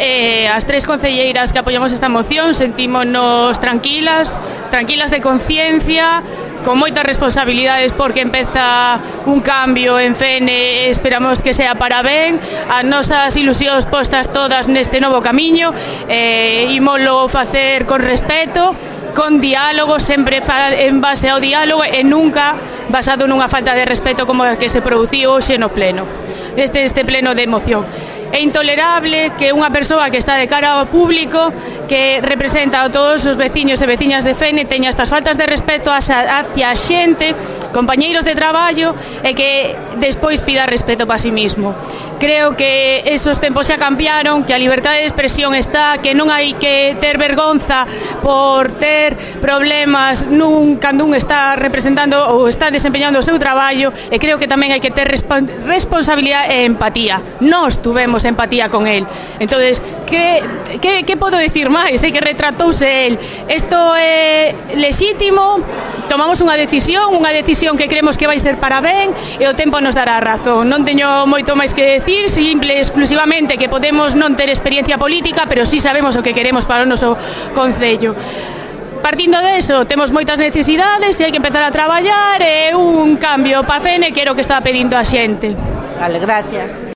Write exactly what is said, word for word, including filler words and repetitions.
eh, as tres concelleiras que apoiamos esta moción sentímonos tranquilas, tranquilas de conciencia, con moitas responsabilidades porque empeza un cambio en F N e esperamos que sea para ben, as nosas ilusións postas todas neste novo camiño, eh, ímolo facer con respeto, con diálogo, sempre en base ao diálogo e nunca basado nunha falta de respeto como a que se produciu hoxe no pleno, este, este pleno de moción. É intolerable que unha persoa que está de cara ao público, que representa a todos os veciños e veciñas de F N, teña estas faltas de respeto hacia a xente, compañeiros de traballo, e que despois pida respeto para si mismo. Creo que esos tempos xa cambiaron, que a liberdade de expresión está, que non hai que ter vergonza por ter problemas nun cando un está representando ou está desempeñando o seu traballo, e creo que tamén hai que ter responsabilidade e empatía. Nós tuvemos empatía con él. Entonces, que, que, que podo decir máis? É que retratouse el. Isto é lexítimo, tomamos unha decisión, unha decisión que creemos que vai ser para ben, e o tempo nos dará razón. Non teño moito máis que decir, simple exclusivamente que podemos non ter experiencia política, pero sí sabemos o que queremos para o noso concello. Partindo deso, temos moitas necesidades e hai que empezar a traballar, e un cambio para F N que era o que estaba pedindo a xente. Vale, gracias.